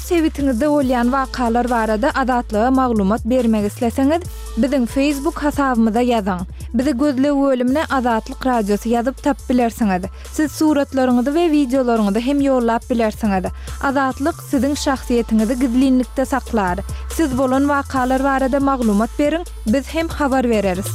sebitiňizde bolýan wakalar barada Azatlyga maglumat bermek isleseňiz, biziň Facebook hasabymyza ýazyň. Bizi gözleg bölümine Azatlyk Radiosy ýazyp tapyp bilersiňiz. Siz suratlaryňyzy we wideolaryňyzy hem ýollap bilersiňiz. Azatlyk siziň şahsyýetiňizi gizlinlikde saklar. Siz bolan wakalar barada maglumat beriň, biz hem habar bereris.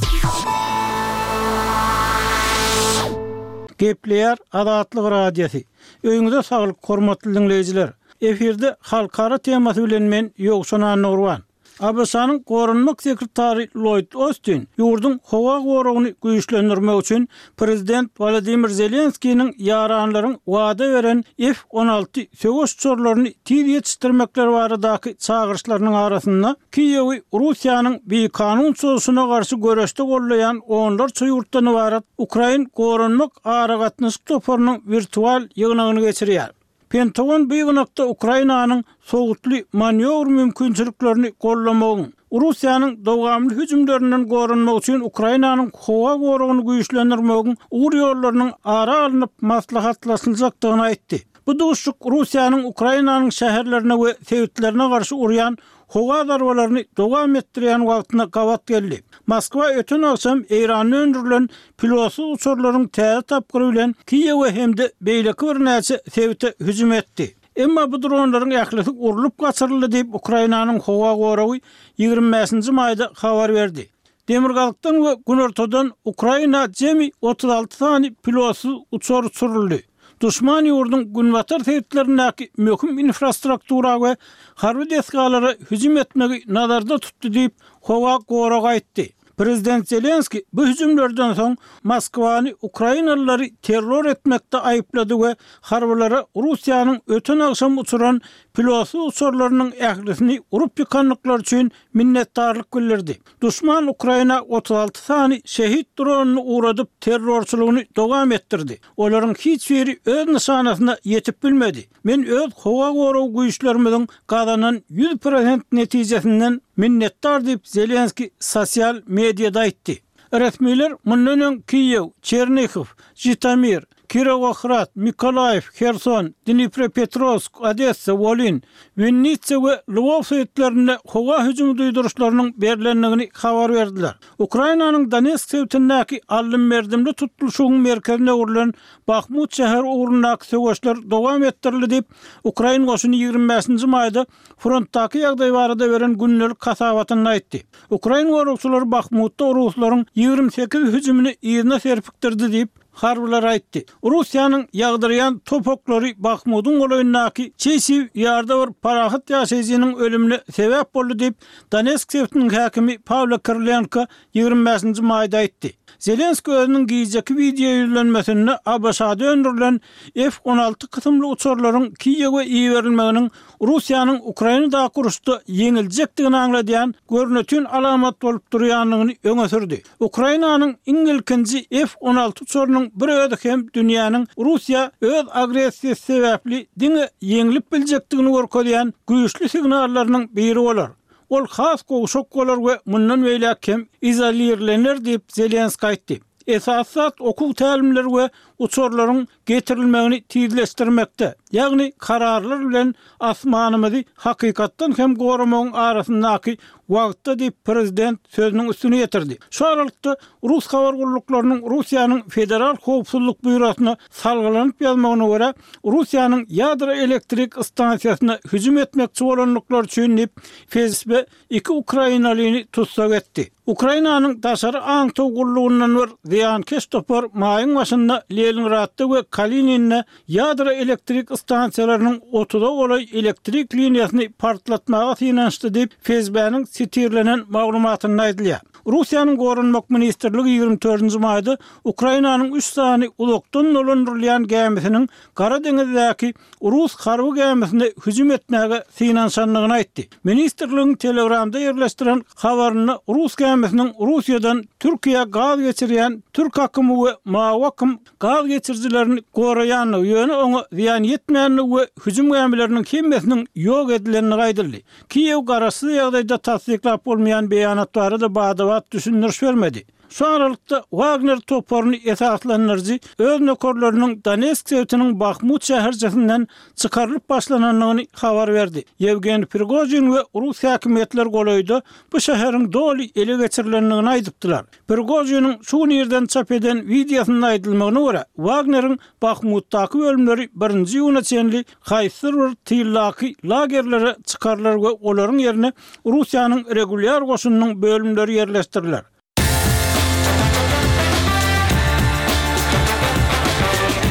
Gepleýär Azatlyk Radiosy. Öýüňize saglyk hormatly diňleýjiler! Efirde halkara temasy bilen men Ýowşan Annagurban. ABŞ-nyň Goranmak sekretary Lloýd Ostin ýurduň howa goragyny güýçlendirmek üçin prezident Wolodymyr Zelenskiniň ýaranlaryň wada beren F-on alty söweş uçarlaryny tiz ýetişdirmekleri baradaky çagyryşlarynyň arasynda Kiýewi Russiýanyň bikanun çozuşyna garşy göreşde goldaýan onlarça ýurtdan ybarat Ukrain goranmak aragatnaşyk toparynyň wirtual ýygnagyny geçirýär. Pentagon bu ýygnakda Ukrainanyň sowutly manýowr mümkinçiliklerini goldamagyň, Russiýanyň dowamly hüjümlerinden goranmak üçin Ukrainanyň howa goragyny güýçlendirmegiň ugur-ýollarynyň ara alnyp maslahatlaşyljakdygyny aýtdy. Bu duşuşyk Russiýanyň Ukrainanyň şäherlerine we sebitlerine garşy urýan howa zarbalaryny dowam etdirýän wagtyna gabat geldi. Moskwa öten agşam Eýranda öndürilen pilotsyz uçarlaryň täze tapgyry bilen Kiýewe hem-de beýleki birnäçe sebite hüjüm etdi. Emma bu dronlaryň ählisi urlup gaçyryldy diýip, Ukrainanyň howa goragy 25-nji maýda habar berdi. Demirgazykdan we günortadan Ukraina jemi 36 sany pilotsyz uçar uçuryldy. Duşman ýurduň günbatar sebitlerindäki möhüm infrastruktura we harby desgalara hüjüm etmegi nazarda tutdy diýip, howa goragy aýtdy. Prezident Zelenskiý bu hüjümlerden soň Moskwany ukrainalylary terror etmekde aýyplady we harbylara Russiýanyň öten agşam uçuran pilotsyz uçarlarynyň ählisini urup ýykandyklary üçin minnetdarlyk bildirdi. Duşman Ukraina 36 sany şehit dronyny ugradyp, terrorçylygyny dowam etdirdi. Olaryň hiç biri öz nyşanasyna ýetip bilmedi. Men öz howa gorag güýçlerimiziň gazanan 100 prosent netijesinden minnetdar diýip, Zelenskiý sosial mediada aýtdy. Resmiler mundan öň Kiýew, Çernihiw, Žitomir, Kirowohrad, Mykolaýiw, Herson, Dniprepetrowsk, Odessa, Wolyn, Winnitsa we Lwow sebitlerinde howa hüjümi duýduryşlarynyň berlendigini habar berdiler. Ukrainanyň Donetsk sebitindäki aldym-berdimli tutluşygyň merkezine öwrülen Bahmut şäheri ugrundaky söweşler dowam etdirildi diýip, ukrain goşuny 25-nji maýda frontdaky ýagdaý barada beren gündelik hasabatynda aýtdy. Ukrain goragçylary Bahmutda ruslaryň 28 hüjümini yzyna serpikdirdi diýip, harbylar aýtdy. Russiýanyň ýagdyrýan top oklary Bahmudyň golaýyndaky Çesiw Ýarda bir parahat ýaşaýjynyň ölümine sebäp boldy diýip, Donetsk sebitiniň häkimi Pawlo Kirilenko 25-nji maýda aýtdy. Zelenskiý özüniň gijeki wideo ýüzlenmesinde ABŞ-da öndürilen F-on alty kysymly uçarlaryň Kiýewe iberilmeginiň Russiýanyň Ukrainadaky uruşda ýeňiljekdigini aňladýan görnetin alamat bolup durýandygyny öňe sürdi. Ukrainanyň iň ilkinji F-on alty uçarynyň bir özi hem dünýäniň Russiýa öz agressiýasy sebäpli diňe ýeňlip biljekdigini görkezýän güýçli signallarynyň biri bolar. Ol has gowşak bolar we mundan beýläk hem izolirlener diýip, Zelenskiý aýtdy. Esasy zat okuw tälimleri we uçarlaryň getirilmegini tizleşdirmekde, ýagny kararlar bilen asmanymyzy hakykatdan hem goramagyň arasyndaky wagtda diýip, prezident sözüniň üstüni ýetirdi. Şu aralykda, rus habar gulluklarynyň Russiýanyň Federal howpsuzlyk býurosyna salgylanyp ýazmagyna görä, Russiýanyň ýadro elektrik stansiýasyna hüjüm etmekçi bolandyklary üçin diýip, FSB iki ukrainalyny tussag etdi. Ukrainanyň daşary aňtaw gullugyndan bir zyýankeş topar maýyň başynda Leningradda we Kalininde ýadro elektrik stansiýalarynyň otuza golaý elektrik liniýasyny partlatmaga synanyşdy diýip, FSB-niň sitirlenen maglumatynda aýdylýar. Russiýanyň Goranmak ministrligi 24-nji maýda Ukrainanyň üç sany uzakdan dolandyrylýan gämisiniň Gara deňizdäki rus harby gämisine hüjüm etmäge synanyşandygyny aýtdy. Ministrligiň Telegramda ýerleşdiren habarynda rus gämisiniň Russiýadan Türkiýä gaz geçirýän Türk akymy we Mawy akym gaz geçirijilerini goraýandygy, ýöne oňa zyýan ýetmändigi we hüjüm gämileriniň hemmesiniň ýok edilendigi aýdyldy. Kiýew garaşsyz ýagdaýda tassyklap bolmaýan beýanat barada bada-bat düşündiriş bermedi. Şu aralykda, Wagner toparyny esaslandyryjy öz nökerleriniň Donetsk sebitiniň Bahmut şäherçesinden çykarylyp başlanandygyny habar berdi. Ýewgeniý Prigožin we rus häkimiýetleri golaýda bu şäheriň doly ele geçirilendigini aýdypdylar. Prigožiniň şu gün irden çap eden wideosynda aýdylmagyna görä, Wagneriň Bahmutdaky bölümleri birinji iýuna çenli haýsydyr bir tyldaky lagerlere çykarylar we olaryň ýerine Russiýanyň regulýar goşunynyň bölümleri ýerleşdiriler.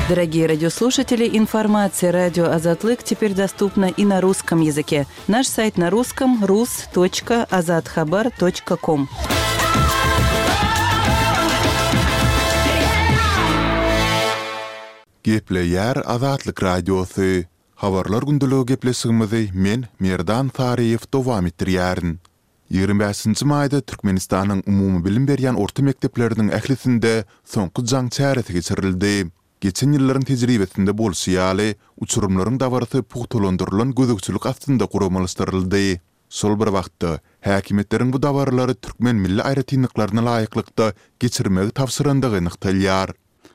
Дорогие радиослушатели, информация радио Азатлык теперь доступна и на русском языке. Наш сайт на русском rus.azathabar.com. Gepleýär Azatlyk Radiosy. Habarlar gündeligi gepleşigimizi men, Merdan Saryýew dowam etdirýärin. 25-nji maýda Türkmenistanyň umumybilim berýän orta mekdepleriniň ählisinde Soňky jaň çäresi geçirildi. Geçen ýyllaryň tejribesinde bolşy ýaly, uçurymlaryň dabarasy pugtalandyrylan gözegçilik astynda guramalaşdyryldy. Şol bir wagtda, häkimiýetleriň bu dabaralary türkmen milli aýratynlyklaryna laýyklykda geçirmegi tabşyrandygy nygtalýar.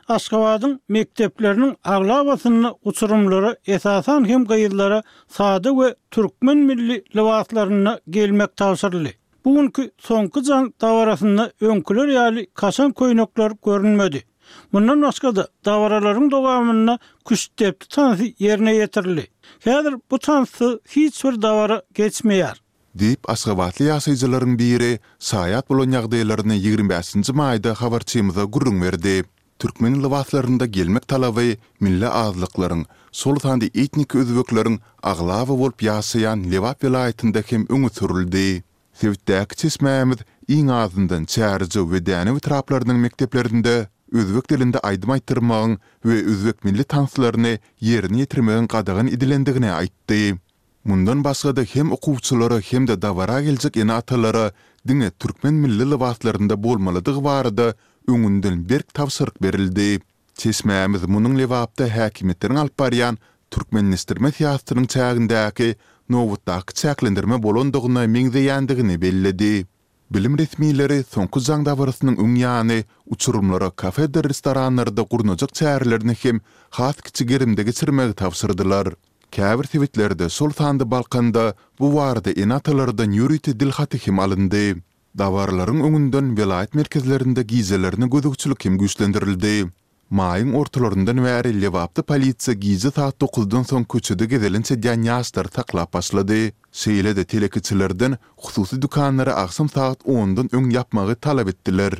Aşgabadyň mekdepleriniň aglabasynda uçurymlara, esasan hem gyzlara sada we türkmen milli lybaslarynda gelmek tabşyryldy. Bu günki Soňky jaň dabarasynda öňküler ýaly kaşaň köýnekler görünmedi. Mundan başga-da, dabaralaryň dowamynda küştdepdi tansy ýerine ýetirildi. Häzir bu tanssyz hiç bir dabara geçmeýär. Diýip, aşgabatly ýaşaýjylaryň biri şaýat bolan ýagdaýlaryny 25-nji maýda habarçymyza gürrüň berdi. Türkmen lybaslarynda gelmek talaby milli azlyklaryň, şol sanda etniki özbekleriň aglaba bolup ýaşaýan Lebap welaýatynda hem öňe sürüldi. Sebitdäki çeşmämiz iň azyndan Çärjew we Dänew etraplarynyň mekdeplerinde özbek dilinde aýdym aýtdyrmagyň we özbek milli tanslaryny ýerine ýetirmegiň gadagan edilendigini aýtdy. Mundan başga-da hem okuwçylara hem-de dabara geljek ene-atalara diňe türkmen milli lybaslarynda bolmalydygy barada öňünden berk tabşyryk berildi. Çeşmämiz munuň Lebapda häkimiýetleriň alyp barýan türkmenleşdirme syýasatynyň çägindäki nobatdaky çäklendirme bolandygyna meňzeýändigini belledi. Bilim resmileri soňky jaň dabarasynyň öň ýany uçurymlara kafedir restoranlarda gurnajak çärelerini hem has kiçi gerimde geçirmegi tabşyrdylar. Käbir sebitlerde, şol sanda Balkanda bu barada ene-atalardan ýörite dil haty hem alyndy. Dabaralaryň öňünden welaýat merkezlerinde gijelerine gözegçilik hem güýçlendirildi. Maýyň ortalaryndan bäri Lebapda polisiýa gije saat dokuzdan soň köçede gezelenç edýän ýaşlary saklap başlady. Şeýle-de telekeçilerden hususy dükanlary agşam sagat ondan öň ýapmagy talap etdiler.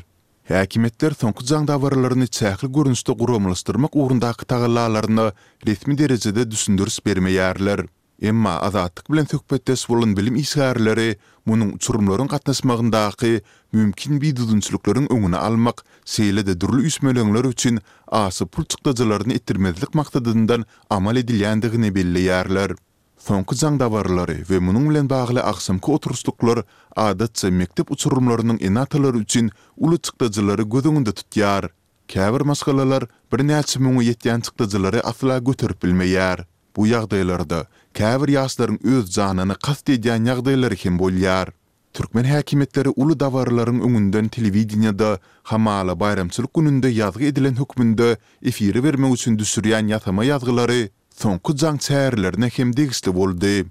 Häkimiýetler soňky jaň dabaralaryny çäkli görnüşde guramalaşdyrmak ugrundaky tagallalaryna resmi derejede düşündiriş bermeýärler. Emma Azatlyk bilen söhbetdeş bolan bilim işgärleri munuň uçurymlaryň gatnaşmagyndaky mümkin bidüzgünçilikleriň öňüni almak, şeýle-de dürli üýşmeleňler üçin aşa pul çykdajylaryny etdirmezlik maksadyndan amal edilýändigini belleýärler. Soňky jaň dabaralary we munuň bilen bagly agşamky oturyşlyklar adatça mekdep uçurymlarynyň ene-atalary üçin uly çykdajylary göz öňünde tutýar. Käbir maşgalalar birnäçe müňe ýetýän çykdajylary asla göterip bilmeýär. Bu ýagdaýlarda käbir ýaşlaryň öz janyna kast edýän ýagdaýlary hem bolýar. Türkmen häkimiýetleri uly dabaralaryň öňünden telewideniýede hamala baýramçylyk gününde ýazgy edilen hökmünde efire bermek üçin düşürýän ýasama ýazgylary soňky jaň çärelerine hem degişli boldy.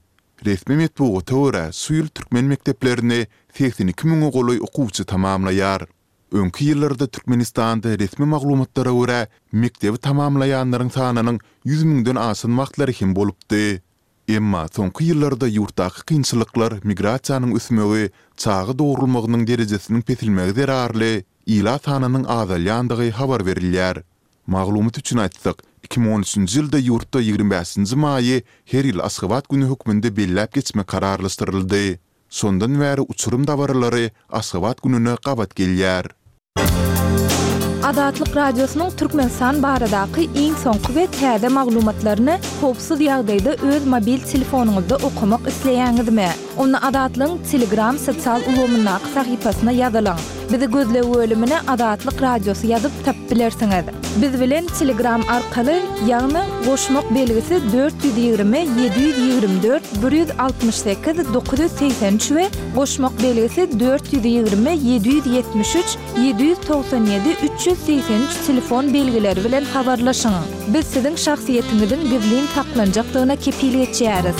Resmi metbugata görä, şu ýyl türkmen mekdeplerini 82 müňe golaý okuwçy tamamlaýar. Öňki ýyllarda Türkmenistanda resmi maglumatlara görä, mekdebi tamamlaýanlaryň sanynyň 100 müňden aşan wagtlary hem bolupdy. Emma soňky ýyllarda ýurtdaky kynçylyklar, migrasiýanyň ösmegi, çaga dogrulmagynyň derejesiniň peselmegi zerarly ilat sanynyň azalýandygy habar berilýär. Maglumat üçin aýtsak, 2013-nji ýylda ýurtda 25-nji maýy her ýyl Aşgabat güni hökmünde belläp geçmek kararlaşdyryldy. Şondan bäri uçurym dabaralary Aşgabat gününe gabat gelýär. Azatlyk Radiosynyň Türkmenistan baradaky iň soňky we täze maglumatlaryny howpsuz ýagdaýda öz mobil telefonyňyzda okamak isleýäňizmi? Onda Azatlygyň Telegram sosial ulgamyndaky sahypasyna ýazylyň. Bizi gözleg bölümine Azatlyk Radiosy ýazyp tapyp bilersiňiz. Biz bilen Telegram arkaly, ýagny goşmak belgisi 420 724 168 983 we goşmak belgisi 420 773 797 383 telefon belgileri bilen habarlaşyň. Biz siziň şahsyýetiňiziň gizlin saklanjakdygyna kepil geçýäris.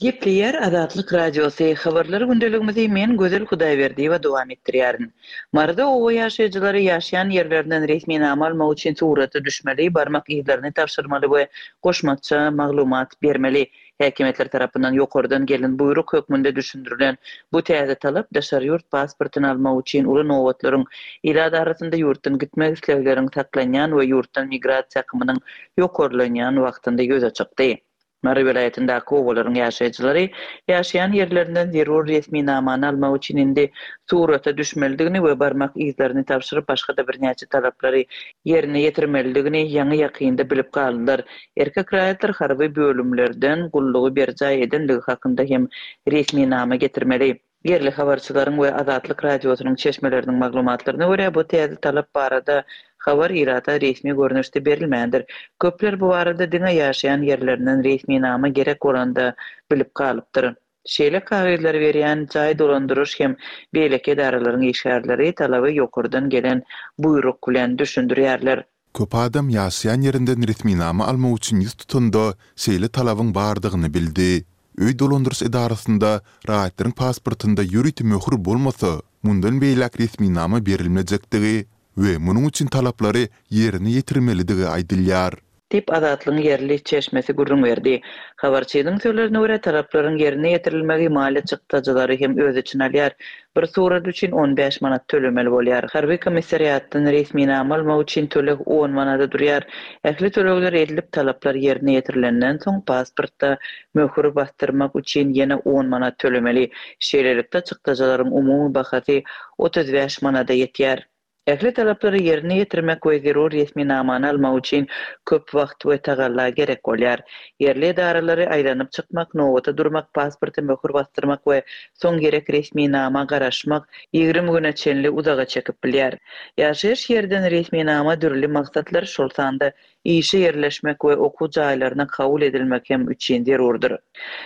Gepleýär Azatlyk Radiosy, Habarlar gündeligimizi men Gözel Hudaýberdiýewa dowam etdirýärin. Maryda oba ýaşaýjylary ýaşaýan ýerlerinden resminama almak üçin surata düşmeli, barmak yzlaryny tabşyrmaly we goşmaça maglumat bermeli. Häkimiýetler tarapyndan ýokardan gelen buýruk hökmünde düşündirilen bu täze talap daşary ýurt pasportyny almak üçin uly nobatlaryň, ilat arasynda ýurtdan gitmek islegleriň saklanýan we ýurtdan migrasiýa akymynyň ýokarlanýan wagtynda ýüze çykdy. Mary welaýatyndaky obalaryň ýaşaýjylary ýaşaýan ýerlerinden zerur resminamany almak üçin indi surata düşmelidigini we barmak yzlaryny tabşyryp başga-da birnäçe talaplary ýerine ýetirmelidigini ýaňy-ýakynda bilip galdylar. Erkek raýatlar harby bölümlerden gullugy berjaý edenligi hakynda hem resminama getirmeli. Ýerli habarçylaryň we Azatlyk Radiosynyň çeşmeleriniň maglumatlaryna görä, bu täze talap barada habar ilata resmi görnüşde berilmändir. Köpler bu barada diňe ýaşaýan ýerlerinden resminama gerek bolanda bilip galypdyr. Şeýle kagyzlary berýän jaý dolandyryş hem beýleki edaralaryň işgärleri talaby ýokardan gelen buýruk bilen düşündirýärler. Köp adam ýaşaýan ýerinden resminama almak üçin ýüz tutanda şeýle talabyň bardygyny bildi. Öý dolandyryş edarasynda raýatlaryň pasportynda ýörite möhür bolmasa, mundan beýläk resminama berilmejekdigi we munuň üçin talaplary ýerine ýetirmelidigi aýdylýar. Diýip, Azatlygyň ýerli çeşmesi gürrüň berdi. Habarçynyň sözlerine görä, talaplaryň ýerine ýetirilmegi maliýe çykdajylary hem öz içine alýar. Bir surat üçin 15 manat tölemeli bolýar. Harby komissariatdan resminama almak üçin töleg on manada durýar. Ähli tölegler edilip, talaplar ýerine ýetirilenden soň, pasportda möhür basdyrmak üçin ýene on manat tölemeli. Şeýlelikde, çykdajylaryň umumy bahasy 35 manada ýetýär. Ähli talaplary ýerine ýetirmek we zerur resminamany almak üçin köp wagt we tagalla gerek bolýar. Ýerli edaralary aýlanyp çykmak, nobata durmak, pasporta möhür basdyrmak we soň gerek resminama garaşmak 20 güne çenli uzaga çekip bilýär. Ýaşaýyş ýerden resminama dürli maksatlar, şol sanda işe ýerleşmek we okuw jaýlaryna kabul edilmek hem üçin zerurdyr.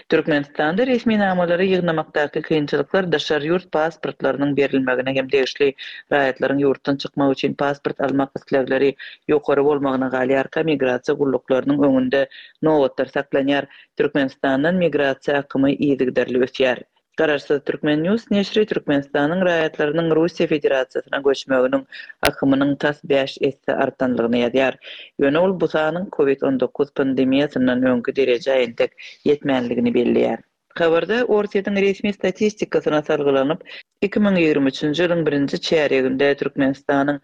Türkmenistanda resminamalary ýygnamakdaky kynçylyklar daşary ýurt pasportlarynyň berilmegine hem degişli. Raýatlaryň ýurtdan çykmak üçin pasport almak islegleri ýokary bolmagyna galýarka, migrasiýa gulluklarynyň öňünde nobatlar saklanýar. Türkmenistandan migrasiýa akymy yzygiderli ösýär. Garaşsyz Turkmen News neşiri Türkmenistanyň raýatlarynyň Russiýa Federasiýasyna göçmeginiň akymynyň tas bäş esse artanlygyny ýazýar. Ýöne ol bu sanyň Covid 19 pandemiýasyndan öňki derejä entek ýetmänligini belleýär. Habarda Orsýetiň resmi statistikasyna salgylanyp, 2023-nji ýylyň birinji çärýeginde Türkmenistanyň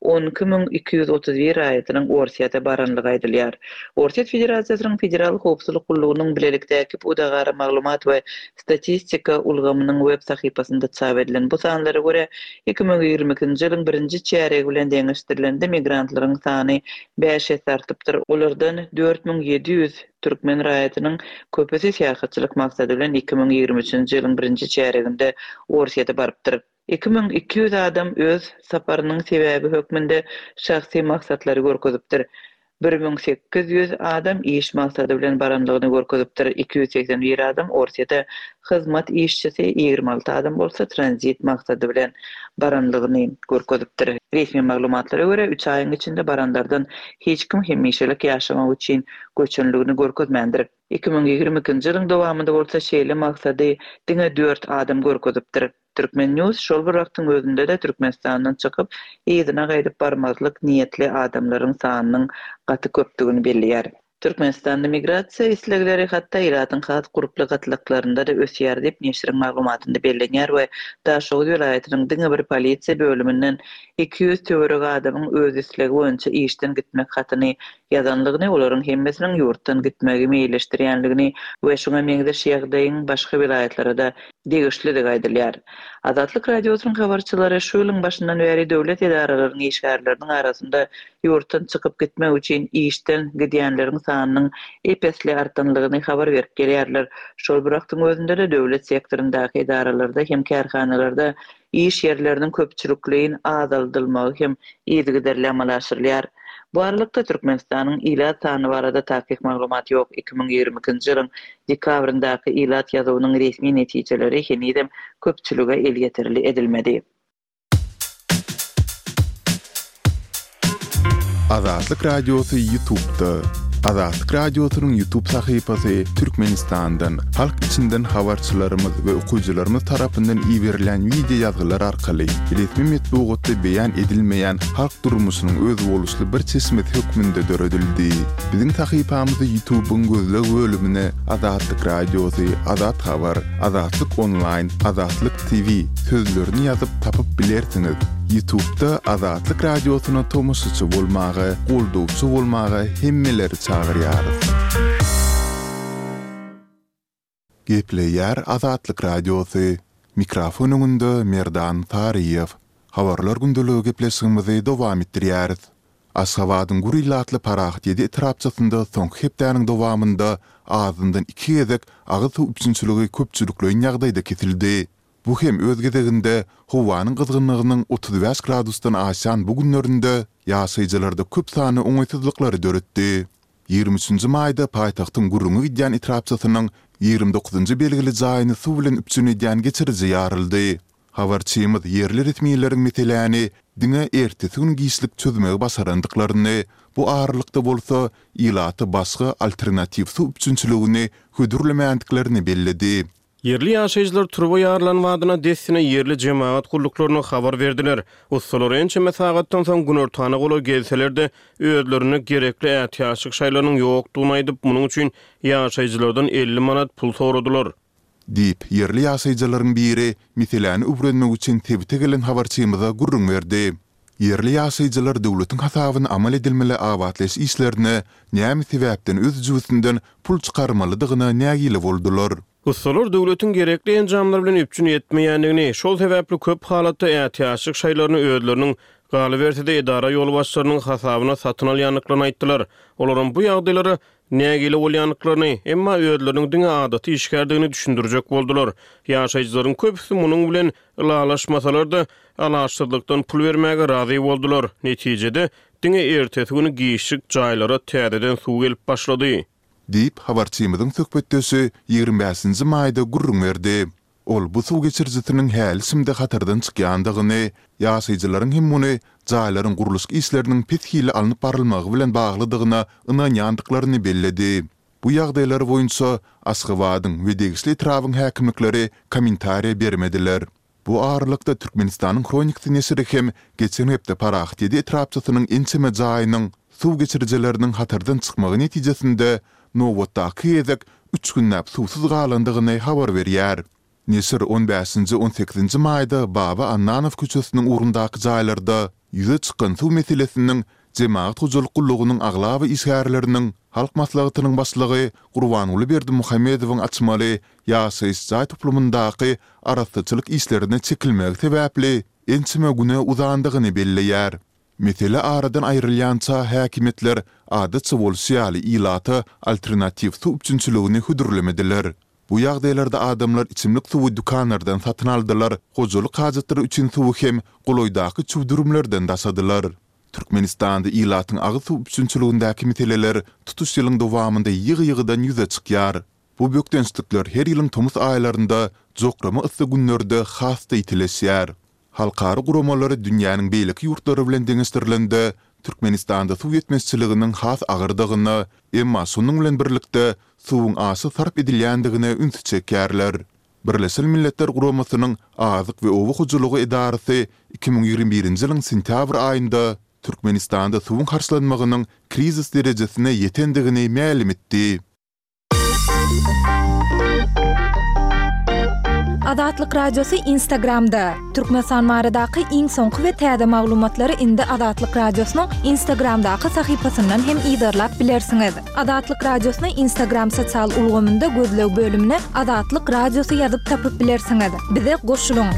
12231 raýatynyň Orsýete baranlygy aýdylýar. Orsýet Federasiýasynyň Federal howpsuzlyk gullugynyň bilelikdäki pudagara maglumat we statistika ulgamynyň web sahypasynda çap edilen bu sanlara görä, 2022-nji ýylyň birinji çärýegi bilen deňeşdirilende migrantlaryň sany bäş esse artypdyr, olardan 4700 Türkmen raýatynyň köpüsi syýahatçylyk maksady bilen 2023-nji ýylyň birinji çärýeginde Orsýete barypdyr. 2200 adam öz saparynyň sebäbi hökmünde şahsy maksatlary görkezipdir. 1800 adam iş maksady bilen baranlygyny görkezipdir, 281 adam Orsýete hyzmat işçisi, 26 adam bolsa tranzit maksady bilen baranlygyny görkezipdir. Resmi maglumatlara görä, üç aýyň içinde baranlardan hiç kim hemişelik ýaşamak üçin göçenligini görkezmändir. 2022-nji ýylyň dowamynda bolsa şeýle maksady diňe dört adam görkezipdir. Turkmen. News şol bir wagtyň özünde-de Türkmenistandan çykyp, yzyna gaýdyp barmazlyk niýetli adamlaryň sanynyň gaty köpdügini belleýär. Türkmenistanda migrasiýa islegleri hatda ilatyň has gurply gatlaklarynda-da ösýär diýip, neşiriň maglumatynda bellenýär we Daşoguz welaýatynyň diňe bir polisiýa bölüminden 200 töweregi adamyň öz islegi boýunça işden gitmek hatyny ýazanlygyny, olaryň hemmesiniň ýurtdan gitmegi meýilleşdirýänligini we şuňa meňzeş ýagdaýyň başga welaýatlara-da degişlidigi aýdylýar. Azatlyk Radiosynyň habarçylary şu ýylyň başyndan bäri döwlet edaralarynyň işgärleriniň arasynda ýurtdan çykyp gitmek üçin işden gidýänleriň sanynyň ep-esli artanlygyny habar berip gelýärler. Şol bir wagtyň özünde-de döwlet sektoryndaky edaralarda hem kärhanalarda iş ýerleriniň köpçülikleýin azaldylmagy hem yzygiderli amala aşyrylýar. Bu aralykda, Türkmenistanyň ilat sany barada takyk maglumat ýok. 2022-nji ýylyň dekabryndaky ilat ýazuwynyň resmi netijeleri henizem köpçülige elýeterli edilmedi. Azatlyk Radiosy Ýutubda. Azatlyk Radiosynyň Ýutub sahypasy Türkmenistandan, halk içinden habarçylarymyz we okyjylarymyz tarapyndan iberilýän wideo ýazgylar arkaly resmi metbugatda beýan edilmeýän halk durmuşynyň özboluşly bir çeşmesi hökmünde döredildi. Biziň sahypamyzy Ýutubyň gözleg bölümine Azatlyk Radiosy, Azat Habar, Azatlyk Onlaýn, Azatlyk TV sözlerini ýazyp tapyp bilersiňiz. Ýutubda Azatlyk Radiosyna tomaşaçy bolmaga, goldawçy bolmaga hemmeleri çagyrýarys. Gepleýär Azatlyk Radiosy. Mikrofon öňünde Merdan Saryýew. Habarlar gündeligi gepleşigimizi dowam etdirýäris. Aşgabadyň gür ilatly Parahat-ýedi etrapçasynda soňky hepdäniň dowamynda azyndan iki gezek agyz suw üpjünçiligi köpçülikleýin ýagdaýda kesildi. Bu hem öz gezeginde howanyň gyzgynlygynyň 35 gradusdan aşýan bu günlerinde ýaşaýjylarda köp sanly oňaýsyzlyklary döretdi. Ýigrimi üçünji maýda paýtagtyň gürrüňi gidýän etrapçasynyň ýigrimi dokuzynjy belgili jaýyny suw bilen üpjün edýän geçiriji ýaryldy. Habarçymyz ýerli resmileriň meseläni diňe ertesi gün giçlik çözmegi başarandyklaryny, bu aralykda bolsa ilata başga alternatiw suw üpjünçiligini hödürlemändiklerini belledi. Ýerli ýaşaýjylar turba ýarylan badyna dessine ýerli jemagat gulluklaryna habar berdiler. Ussalar ençeme sagatdan soň günortana golaý gelseler-de, özlerinde gerekli ätiýaçlyk şaýlarynyň ýokdugyny aýdyp, munuň üçin ýaşaýjylardan 50 manat pul soradylar. Diýip, ýerli ýaşaýjylaryň biri meseläni öwrenmek üçin sebite gelen habarçymyza gürrüň berdi. Ýerli ýaşaýjylar döwletiň hasabyna amal edilmeli abatlaýyş işlerine näme sebäpden öz jübüsinden pul çykarmalydygyna nägile boldular. Ussalar döwletiň gerekli enjamlar bilen üpjün etmeýändigini, şol sebäpli köp halatda ätiýaçlyk şaýlaryny özleriniň, galyberse-de edara ýolbaşçylarynyň hasabyna satyn alýandyklaryny aýtdylar. Olaram bu ýagdaýlara nägile bolýandyklaryny, emma özleriniň diňe adaty işgärdigini düşündirjek boldular. Ýaşaýjylaryň köpüsi munuň bilen ylalaşmasalar-da, alaçsyzlykdan pul bermäge razy boldular. Netijede, diňe ertesi güni giçlik jaýlara täzeden suw gelip başlady. Diýip, habarçymyzyň söhbetdeşi ýigrimi bäşinji maýda gürrüň berdi. Ol bu suw geçirijisiniň häli-şindi hatardan çykýandygyny, ýaşaýjylaryň hem muny jaýlaryň gurluşyk işleriniň pes hilli alnyp barylmagy bilen baglydygyna ynanýandyklaryny belledi. Bu ýagdaýlar boýunça Aşgabadyň we degişli etrabyň häkimlikleri kommentariýa bermediler. Bu aralykda, Türkmenistanyň Hronikasy neşiri hem geçen hepde Parahat-ýedi etrapçasynyň ençeme jaýynyň suw geçirijileriniň hatardan çykmagy netijesinde nobatdaky gezek üç günläp suwsuz galandygyny habar berýär. Neşir on bäşinji, on sekizinji maýda Baba Annanow köçesiniň ugrundaky jaýlarda ýüze çykan suw meselesiniň Jemagat hojalyk gullugynyň aglaba işgärleriniň Halk Maslahatynyň başlygy Gurbanguly Berdimuhamedowyň açmaly ýaşaýyş jaý toplumyndaky arassaçylyk işlerine çekilmegi sebäpli ençeme güne uzandygyny belleýär. Mesele aradan aýrylýança häkimiýetler adatça bolşy ýaly ilata alternatiw suw üpjünçiligini hödürlemediler. Bu ýagdaýlarda adamlar içimlik suwy dükanlardan satyn aldylar, hojalyk hajatlary üçin suwy hem golaýdaky çüwdürimlerden daşadylar. Türkmenistanda ilatyň agyz suw üpjünçiligindäki meseleler tutuş ýylyň dowamynda ýygy-ýygydan ýüze çykýar. Bu bökdençlikler her ýylyň tomus aýlarynda jokrama yssy günlerde has-da ýitileşýär. Halkara guramalary dünýäniň beýleki ýurtlary bilen deňeşdirilende, Türkmenistanda suw ýetmezçiliginiň has agyrdygyna, emma şonuň bilen birlikde suwuň aşa sarp edilýändigine ünsi çekýärler. Birleşen Milletler Guramasynyň Azyk we oba hojalygy edarasy 2021-nji ýylyň sentýabr aýynda Türkmenistanda suwuň harçlanmagynyň krizis derejesine ýetendigini mälim etdi. Azatlyk Radiosy Instagramda, Türkmenistan baradaky iň soňky we täze maglumatlary indi Azatlyk Radiosynyň Instagramdaky sahypasyndan hem yzarlap bilersiňiz. Azatlyk Radiosyny Instagram sosial ulgamynda gözleg bölümine Azatlyk Radiosy ýazyp tapyp bilersiňiz. Bize goşulyň!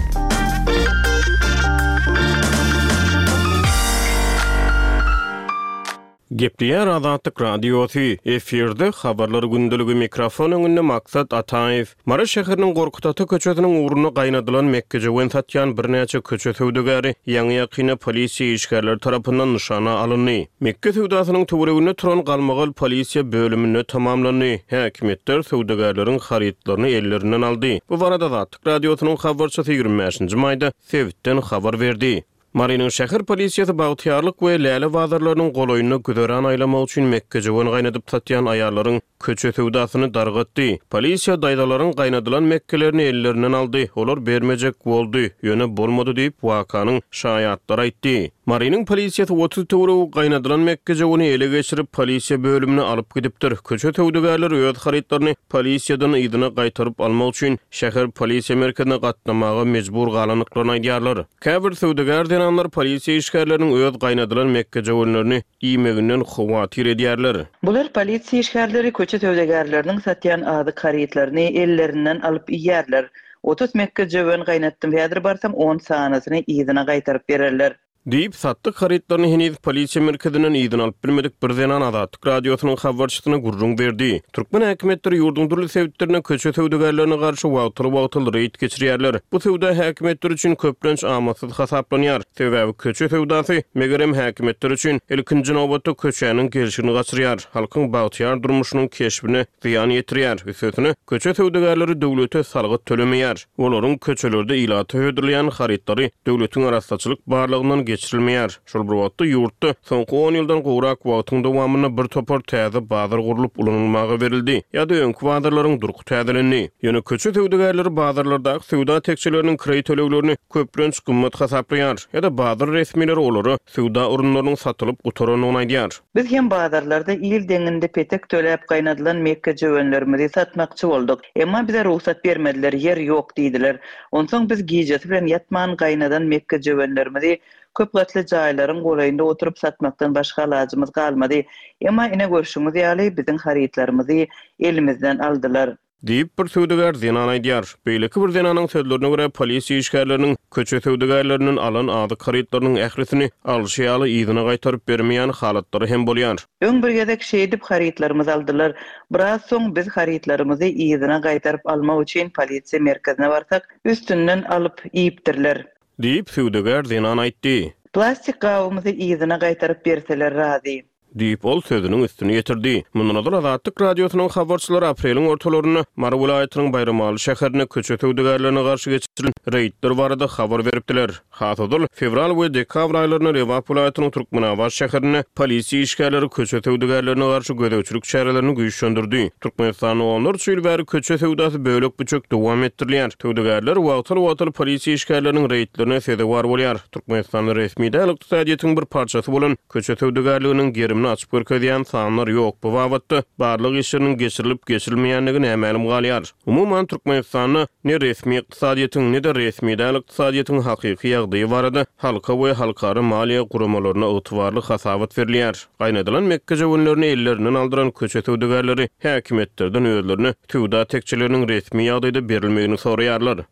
Gepleýär Azatlyk Radiosy, efirde Habarlar gündeligi mikrofon öňünde Maksat Ataýew. Mary şäheriniň Gorkut ata köçesiniň ugrunda gaýnadylan mekgejöwen satýan birnäçe köçe söwdagäri ýaňy-ýakynda polisiýa işgärleri tarapyndan nyşana alyndy. Mekge söwdasynyň töwereginde turan galmagal polisiýa bölüminde tamamlandy. Häkimiýetler söwdagärleriň harytlaryny ellerinden aldy. Bu barada Azatlyk Radiosynyň habarçysy 25-nji maýda sebitden habar berdi. Marynyň şäher polisiýasy Bagtyýarlyk we Läle bazarlarynyň golaýynda güzeran aýlamak üçin mekgejöwen gaýnadyp satýan aýallaryň köçe söwdasyny dargatdy. Polisiýa daýzalaryň gaýnadylan mekgelerini ellerinden aldy, olar bermejek boldy, ýöne bolmady diýip, wakanyň şaýatlary aýtdy. Marynyň polisiýasy 30 töweregi gaýnadylan mekgejöweni ele geçirip, polisiýa bölümine alyp gidipdir. Köçe söwdagärleri öz harytlaryny polisiýadan yzyna gaýtaryp almak üçin şäher polisiýa merkezine gatnamaga mejbur galandyklaryny aýdýarlar. Käbir söwdagär zenanlar polisiýa işgärleriniň öz gaýnadylan mekgejöwenlerini iýmeginden howatyr edýärler. Bular polisiýa işgärleri köçe söwdagärleriniň satýan azyk harytlaryny ellerinden alyp iýýärler. 30 mekgejöwen gaýnatdym häzir barsam on sanysyny yzyna gaýtaryp bererler. Diýip, satdyk harytlaryny heniz polisiýa merkezinden yzyna alyp bilmedik bir zenan Azatlyk Radiosynyň habarçysyna gürrüň berdi. Türkmen häkimiýetleri ýurduň dürli sebitlerinde köçe söwdagärlerine garşy wagtal-wagtal reýd geçirýärler. Bu söwda häkimiýetler üçin köplenç amatsyz hasaplanýar. Sebäbi köçe söwdasy, megerem, häkimiýetler üçin, ilkinji nobatda, köçäniň gelşigini gaçyrýar, halkyň bagtyýar durmuşynyň keşbine zyýan ýetirýär. Üstesine, köçe söwdagärleri döwlete salgyt tölemeýär. Olaryň köçelerde ilata hödürleýän harytlary döwletiň arassaçylyk barlagyndan geçirilmeýär. Şol bir wagtda, ýurtda soňky on ýyldan gowrak wagtyň dowamynda bir topar täze bazar gurlup ulanylmaga berildi ýa-da öňki bazarlaryň durky täzelendi. Ýöne köçe söwdagärleri bazarlardaky söwda tekjeleriniň kireý töleglerini köplenç gymmat hasaplaýar ýa-da bazar resmileri olara söwda orunlarynyň satylyp gutarandygyny aýdýar. Biz hem bazarlarda il deňinde petek töläp gaýnadylan mekgejöwenlerimizi satmakçy bolduk. Emma bize rugsat bermediler, ýer ýok diýdiler. Onsoň biz gijesi bilen ýatman gaýnadan mekgejöwenlerimizi Köp gatly jaýlaryň golaýynda oturyp satmakdan başga alajymyz galmady. Emma ine görşüňiz ýaly, biziň harytlarymyzy elimizden aldylar. Diýip, bir söwdagär zenan aýdýar. Beýleki bir zenanyň sözlerine görä, polisiýa işgärleriniň köçe söwdagärlerinden alan azyk harytlarynyň ählisini alşy ýaly yzyna gaýtaryp bermeýän halatlary hem bolýar. Öň bir gezek şeýdip harytlarymyzy aldylar. Biraz soň biz harytlarymyzy yzyna gaýtaryp almak üçin polisiýa merkezine barsak, üstünden alyp iýipdirler. Diýip, söwdagär zenan aýtdy. Plastik gabymyzy yzyna gaýtaryp berseler razy. Diýip, ol sözüniň üstüni ýetirdi. Mundan ozal Azatlyk Radiosynyň habarçylary apreliň ortalarynda Mary welaýatynyň Baýramaly şäherinde köçe söwdagärlerine garşy geçirilen reýdler barada habar beripdiler. Has ozal, fewral we dekabr aýlarynda Lebap welaýatynyň Türkmenabat şäherinde polisiýa işgärleri köçe söwdagärlerine garşy gözegçilik çärelerini güýçlendirdi. Türkmenistanda onlarça ýyl bäri köçe söwdasy bölek-büçek dowam etdirilýär. Söwdagärler wagtal-wagtal polisiýa işgärleriniň reýdlerine sezewar bolýar. Türkmenistanda resmi däl ykdysadyýetiň bir parçasy bolan köçe söwdagärliginiň gerimini açyp görkezýän sanlar ýok, bu babatda barlag işleriniň geçirilip-geçirilmeýändigi nämälim galýar. Umuman, Türkmenistanda ne resmi ykdysadyýetiň, ne-de resmi däl ykdysadyýetiň hakyky ýagdaýy barada halka we halkara maliýe guramalaryna ygtybarly hasabat berilýär. Gaýnadylan mekgejöwenlerini ellerinden aldyran köçe söwdagärleri häkimiýetlerden özlerine söwda tekjeleriniň resmi ýagdaýda berilmegini soraýarlar.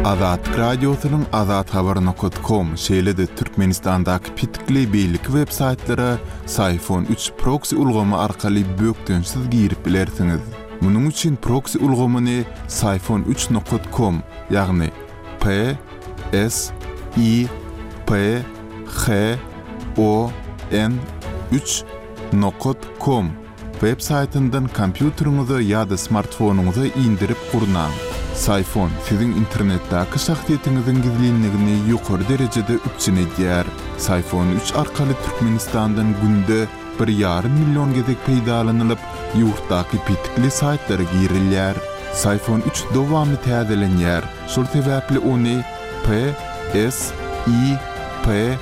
Azatlyk Radiosynyň Azathabar nokat kom şeýle-de Türkmenistandaky petikli beýleki web saýtlara Syfon üç proksi ulgamy arkaly bökdençsiz girip bilersiňiz. Munuň üçin proksi ulgamyny Syfon üç nokat kom, ýagny P S I P H O N üç nokat kom web saýtyndan kompýuteriňize ýa-da smartfonyňyza indirip gurnaň. Syfon siziň internetdäki şahsyýetiňiziň gizlinligini ýokary derejede üpjün edýär. Syfon üç arkaly Türkmenistandan günde bir ýarym million gezek peýdalanylyp, ýurtdaky petikli saýtlara girilýär. Syfon üç dowamly täzelenýär, şol sebäpli ony P S I P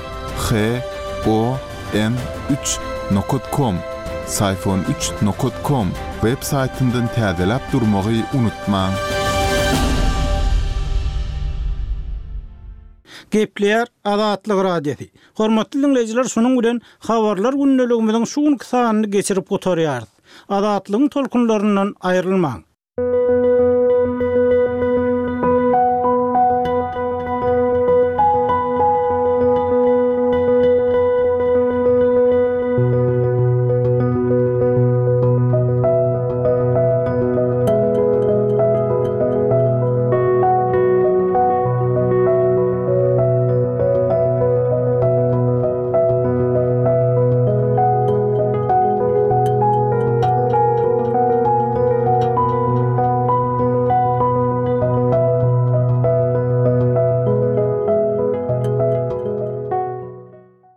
H O N üç nokat kom, Syfon üç nokat kom, web saýtyndan täzeläp durmagy unutmaň. Gepleýär Azatlyk Radiosy. Hormatly diňleýjiler şunuň bilen Habarlar gündeligimiziň şu günki sanyny geçirip gutarýarys. Azatlygyň tolkunlaryndan aýrylmaň.